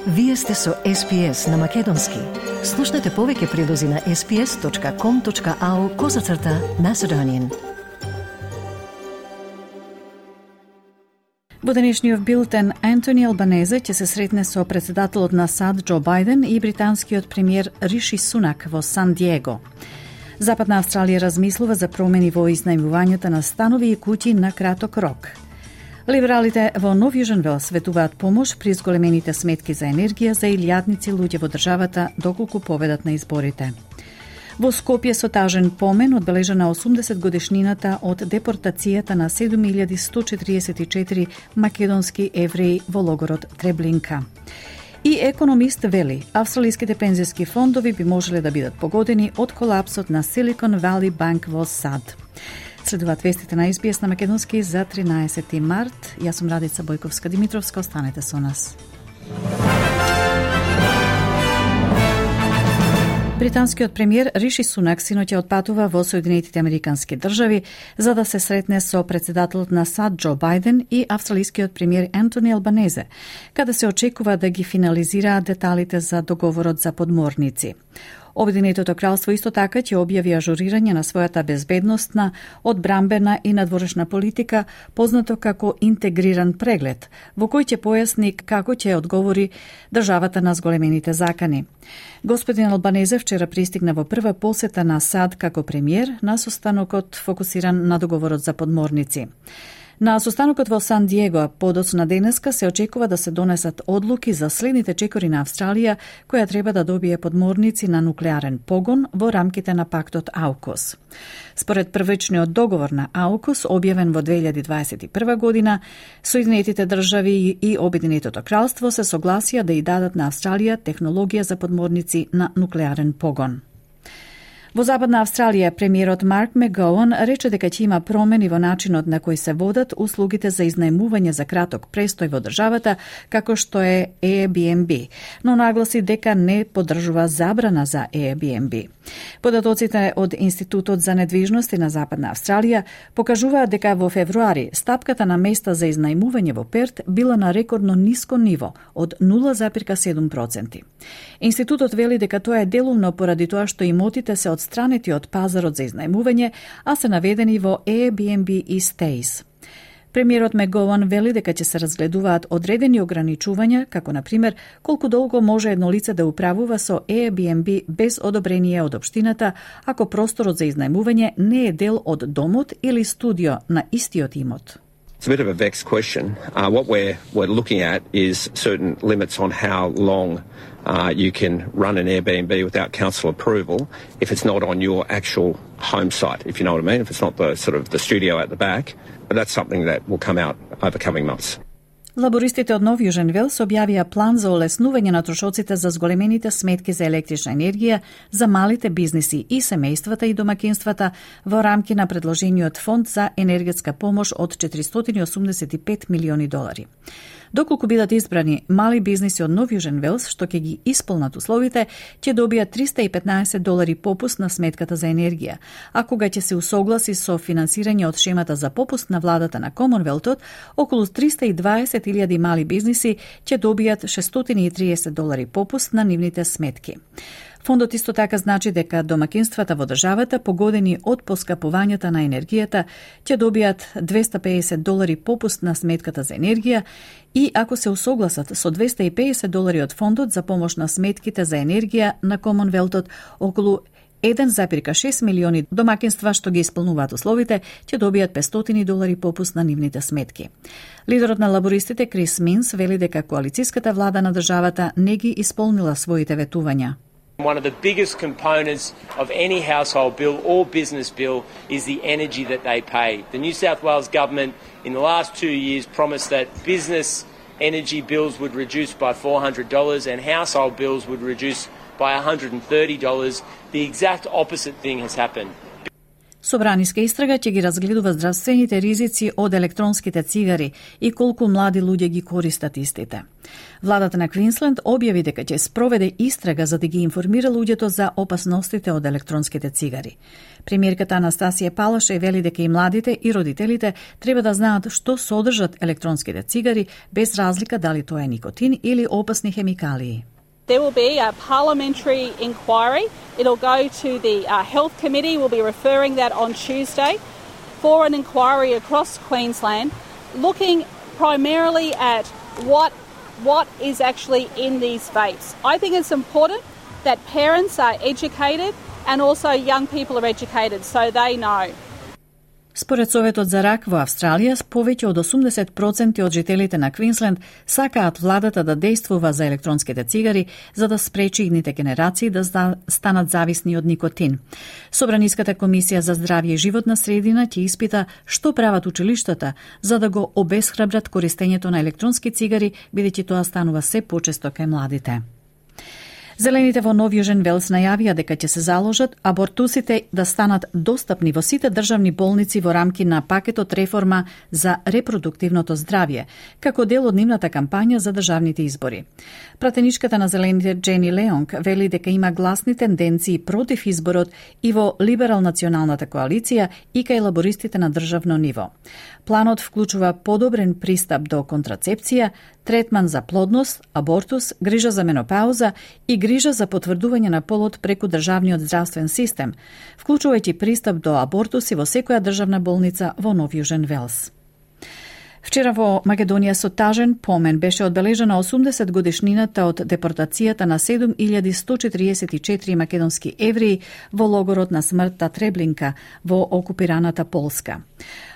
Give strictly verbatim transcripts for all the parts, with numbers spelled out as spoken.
Вие сте со Ес Пи Ес на Македонски. Слушнете повеќе прилози на ес пи ес точка ком точка ау козацрта Macedonian. Во денешниот билтен, Антони Албанезе ќе се сретне со председателот на САД Џо Бајден и британскиот премиер Риши Сунак во Сан Диего. Западна Австралија размислува за промени во изнајмувањето на станови и куќи на краток рок. Либералите во Нов Јужен Велс ветуваат помош при зголемените сметки за енергија за илјадници луѓе во државата доколку победат на изборите. Во Скопје со тажен помен одбележана осумдесет годишнината од депортацијата на седум илјади сто четиридесет и четири македонски евреи во логорот Треблинка. И економист вели, австралиските пензиски фондови би можеле да бидат погодени од колапсот на Silicon Valley Bank во САД. Следуваат вестите на Ес Би Ес на Македонски за тринаесети март. Јас сум Радица Бојковска-Димитровска, останете со нас. Британскиот премиер Риши Сунак синоќа отпатува во Соединетите Американски држави за да се сретне со председателот на САД Џо Бајден и австралискиот премиер Антони Албанезе, каде се очекува да ги финализираат деталите за договорот за подморници. Обединетото кралство исто така ќе објави ажурирање на својата безбедносна, одбрамбена и надворешна политика, познато како интегриран преглед, во кој ќе појасни како ќе одговори државата на зголемените закани. Господин Албанезе вчера пристигна во прва посета на САД како премиер на состанокот фокусиран на договорот за подморници. На состанокот во Сан Диего подоцна денеска се очекува да се донесат одлуки за следните чекори на Австралија, која треба да добие подморници на нуклеарен погон во рамките на пактот АУКУС. Според првичниот договор на АУКУС, објавен во две илјади дваесет и прва година, Соединетите држави и Обединетото кралство се согласија да и дадат на Австралија технологија за подморници на нуклеарен погон. Во Западна Австралија, премиерот Марк Мегоуан рече дека ќе има промени во начинот на кој се водат услугите за изнајмување за краток престој во државата, како што е Airbnb, но нагласи дека не поддржува забрана за Airbnb. Податоците од Институтот за недвижности на Западна Австралија покажуваат дека во февруари стапката на места за изнајмување во Перт била на рекордно ниско ниво од нула зарез седум проценти. Институтот вели дека тоа е делумно поради тоа што имотите се одстранети од пазарот за изнајмување, а се наведени во Airbnb и Stays. Премиерот Мегоуан вели дека ќе се разгледуваат одредени ограничувања, како на пример колку долго може едно лице да управува со Airbnb без одобрение од општината, ако просторот за изнајмување не е дел од домот или студио на истиот имот. It's a bit of a vexed question. Uh, what we're, we're looking at is certain limits on how long uh, you can run an Airbnb without council approval if it's not on your actual home site, if you know what I mean, if it's not the sort of the studio at the back. But that's something that will come out over coming months. Лабористите од Нов Јужен Велс објавија план за олеснување на трошоците за зголемените сметки за електрична енергија за малите бизниси и семејствата и домакинствата во рамки на предложениот фонд за енергетска помош од четиристотини и осумдесет и пет милиони долари. Доколку бидат избрани мали бизниси од Нов Јужен Велс, што ќе ги исполнат условите, ќе добијат триста и петнаесет долари попуст на сметката за енергија, а кога ќе се усогласи со финансирање од шемата за попуст на владата на Комонвелтот, околу триста и дваесет илјади мали бизниси ќе добијат шестстотини и триесет долари попуст на нивните сметки. Фондот исто така значи дека домакинствата во државата погодени од поскапувањата на енергијата ќе добијат двесте и педесет долари попуст на сметката за енергија и ако се усогласат со двесте и педесет долари од фондот за помош на сметките за енергија на Комонвелтот, околу еден зарез шест милиони домакинства што ги исполнуваат условите ќе добијат петстотини долари попуст на нивните сметки. Лидерот на лабористите Крис Минс вели дека коалицијската влада на државата не ги исполнила своите ветувања. One of the biggest components of any household bill or business bill is the energy that they pay. The New South Wales government in the last two years promised that business energy bills would reduce by four hundred dollars and household bills would reduce by one hundred thirty dollars. The exact opposite thing has happened. Собраниска истрага ќе ги разгледува здравствените ризици од електронските цигари и колку млади луѓе ги користат истите. Владата на Квинсленд објави дека ќе спроведе истрага за да ги информира луѓето за опасностите од електронските цигари. Премиерката Анастасија Палаше вели дека и младите и родителите треба да знаат што содржат електронските цигари без разлика дали тоа е никотин или опасни хемикалии. There will be a parliamentary inquiry. It'll go to the uh, Health Committee. We'll be referring that on Tuesday for an inquiry across Queensland, looking primarily at what what is actually in these vapes. I think it's important that parents are educated and also young people are educated so they know. Според Советот за рак во Австралија, повеќе од осумдесет проценти од жителите на Квинсленд сакаат владата да действува за електронските цигари за да спречи идните генерации да станат зависни од никотин. Собраниската комисија за здравје и животна средина ќе испита што прават училиштата за да го обесхрабрат користењето на електронски цигари, бидејќи тоа станува се почесто кај младите. Зелените во Нов Јужен Велс најавија дека ќе се заложат абортусите да станат достапни во сите државни болници во рамки на пакетот реформа за репродуктивното здравје, како дел од нивната кампања за државните избори. Пратеничката на Зелените Джени Леонг вели дека има гласни тенденции против изборот и во либерал-националната коалиција и кај лабористите на државно ниво. Планот вклучува подобрен пристап до контрацепција, третман за плодност, абортус, грижа за менопауза и грижа за потврдување на полот преку државниот здравствен систем, вклучувајќи пристап до абортуси во секоја државна болница во Нов Јужен Велс. Вчера во Македонија со тажен помен беше одбележена осумдесет годишнината од депортацијата на седум илјади сто четириесет и четири македонски евреи во логорот на смртта Треблинка во окупираната Полска.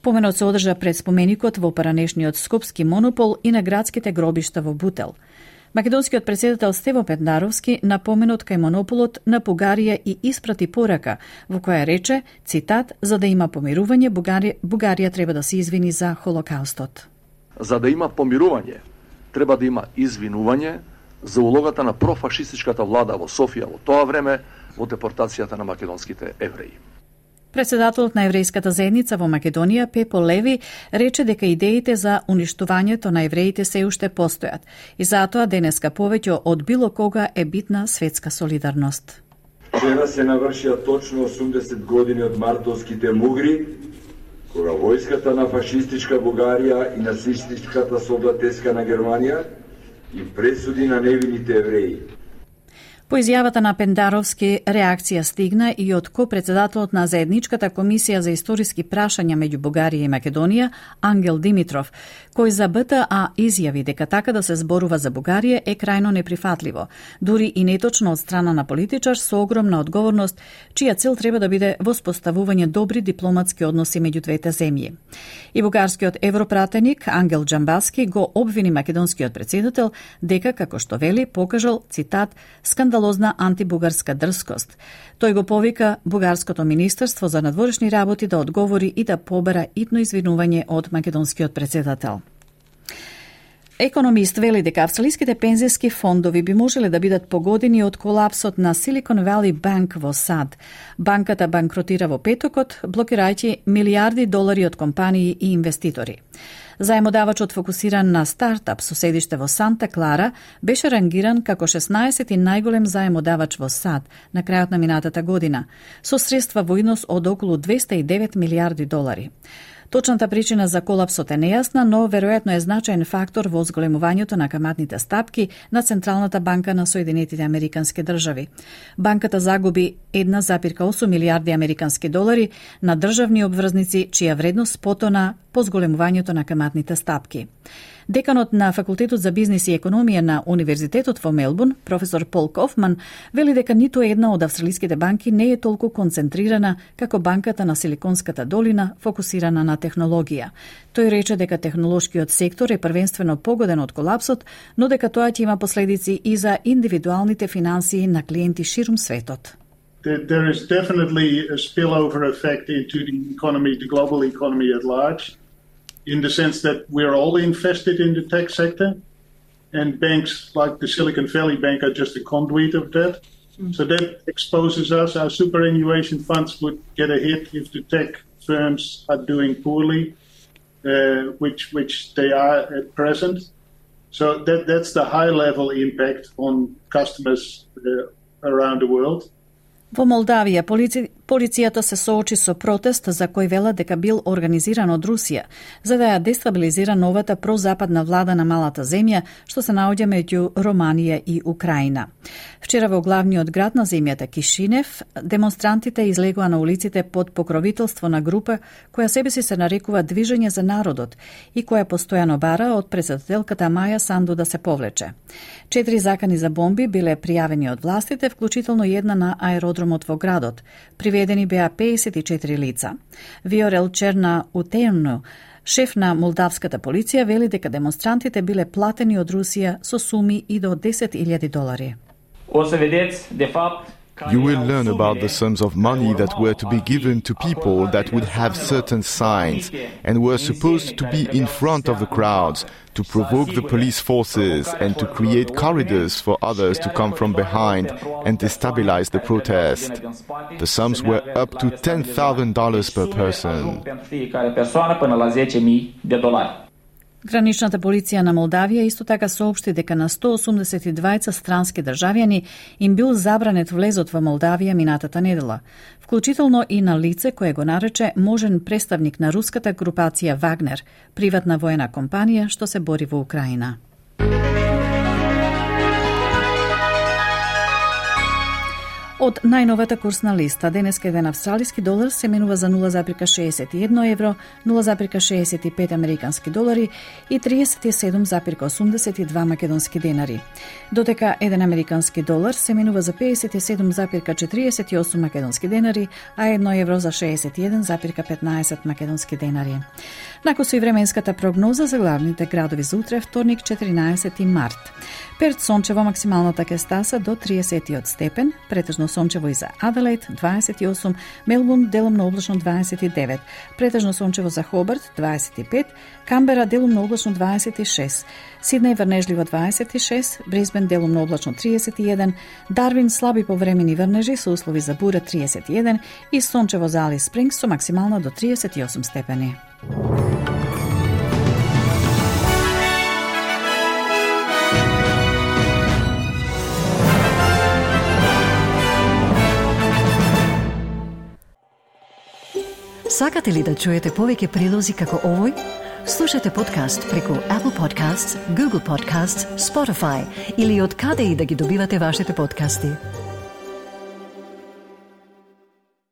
Поменот се одржа пред споменикот во паранешниот Скопски монопол и на градските гробишта во Бутел. Македонскиот председател Стево Пендаровски на поменот кај монополот на Бугарија и испрати порака во која рече, цитат, за да има помирување, Бугарија, Бугарија треба да се извини за Холокаустот. За да има помирување, треба да има извинување за улогата на профашистичката влада во Софија во тоа време во депортацијата на македонските евреи. Председателот на еврејската заедница во Македонија, Пепо Леви, рече дека идеите за уништувањето на евреите се уште постојат и затоа денеска повеќе од било кога е битна светска солидарност. Вчера се навршија точно осумдесет години од мартовските мугри, кога војската на фашистичка Бугарија и нацистичката солдатеска на Германија и пресуди на невините евреи. По изјавата на Пендаровски, реакција стигна и од ко-председателот на Заедничката комисија за историски прашања меѓу Бугарија и Македонија, Ангел Димитров, кој за Б Т А изјави дека така да се зборува за Бугарија е крајно неприфатливо, дури и неточно од страна на политичар со огромна одговорност, чија цел треба да биде воспоставување добри дипломатски односи меѓу двете земји. И бугарскиот европратеник Ангел Джамбаски го обвини македонскиот председател дека, како што вели, покажал, цитат, скандал скандалозна антибугарска дрскост. Тој го повика Бугарското министерство за надворешни работи да одговори и да побара итно извинување од македонскиот председател. Економист вели дека австралиските пензиски фондови би можеле да бидат погодени од колапсот на Silicon Valley Bank во САД. Банката банкротира во петокот, блокирајќи милиарди долари од компании и инвеститори. Заемодавачот фокусиран на стартап со седиште во Санта Клара беше рангиран како шеснаесети најголем заемодавач во САД на крајот на минатата година, со средства во износ од околу двесте и девет милиарди долари. Точната причина за колапсот е нејасна, но веројатно е значаен фактор во зголемувањето на каматните стапки на Централната банка на Соединетите Американски држави. Банката загуби една запирка осум милиарди американски долари на државни обврзници, чија вредност потона по зголемувањето на каматните стапки. Деканот на Факултетот за бизнис и економија на Универзитетот во Мелбурн, професор Пол Кофман, вели дека ниту една од австралиските банки не е толку концентрирана како банката на Силиконската долина, фокусирана на технологија. Тој рече дека технолошкиот сектор е првенствено погоден од колапсот, но дека тоа ќе има последици и за индивидуалните финансии на клиенти ширум светот. There is definitely a spillover effect into the economy, the global economy at large, in the sense that we're all invested in the tech sector, and banks like the Silicon Valley Bank are just a conduit of that. So that exposes us. Our superannuation funds would get a hit if the tech firms are doing poorly, uh, which which they are at present. So that that's the high-level impact on customers uh, around the world. Во Молдавија, полици... полицијата се соочи со протест за кој велат дека бил организиран од Русија, за да ја дестабилизира новата прозападна влада на малата земја, што се наоѓа меѓу Романија и Украина. Вчера во главниот град на земјата Кишинев, демонстрантите излегоа на улиците под покровителство на група која себе си се нарекува Движење за народот и која постојано бара од председателката Маја Санду да се повлече. Четири закани за бомби биле пријавени од властите, вклучително една на аеродромот во градот. Приведени беа пеесет и четири лица. Виорел Черна Утејно, шеф на молдавската полиција, вели дека демонстрантите биле платени од Русија со суми и до десет илјади долари. You will learn about the sums of money that were to be given to people that would have certain signs and were supposed to be in front of the crowds to provoke the police forces and to create corridors for others to come from behind and destabilize the protest. The sums were up to ten thousand dollars per person. Граничната полиција на Молдавија исто така соопшти дека на сто осумдесет и двајца странски државјани им бил забранет влезот во Молдавија минатата недела, вклучително и на лице кое го нарече можен представник на руската групација Вагнер, приватна воена компанија што се бори во Украина. Од најновата курсна листа, денеска еден австралиски долар се менува за нула зарез шеесет и едно евро, нула зарез шеесет и пет американски долари и триесет и седум зарез осумдесет и два македонски денари. Додека еден американски долар се менува за пеесет и седум зарез четириесет и осум македонски денари, а едно евро за шеесет и еден зарез петнаесет македонски денари. Накусо и временската прогноза за главните градови за утре, вторник, четиринаесети март. Перт сончево, максималната ќе стаса до триесет степен, претежно сончево и за Аделаид дваесет и осум, Мелбурн делумно облачно дваесет и девет, претежно сончево за Хобарт дваесет и пет, Камбера делумно облачно дваесет и шест, Сиднеј врнежливо дваесет и шест, Брисбен делумно облачно триесет и еден, Дарвин слаби повремени врнежи со услови за бура триесет и еден и сончево за Алис Спрингс со максимална до триесет и осум степени. Сакате ли да чуете повеќе прилози како овој? Слушате подкаст преку Apple Podcasts, Google Podcasts, Spotify или од каде и да ги добивате вашите подкасти.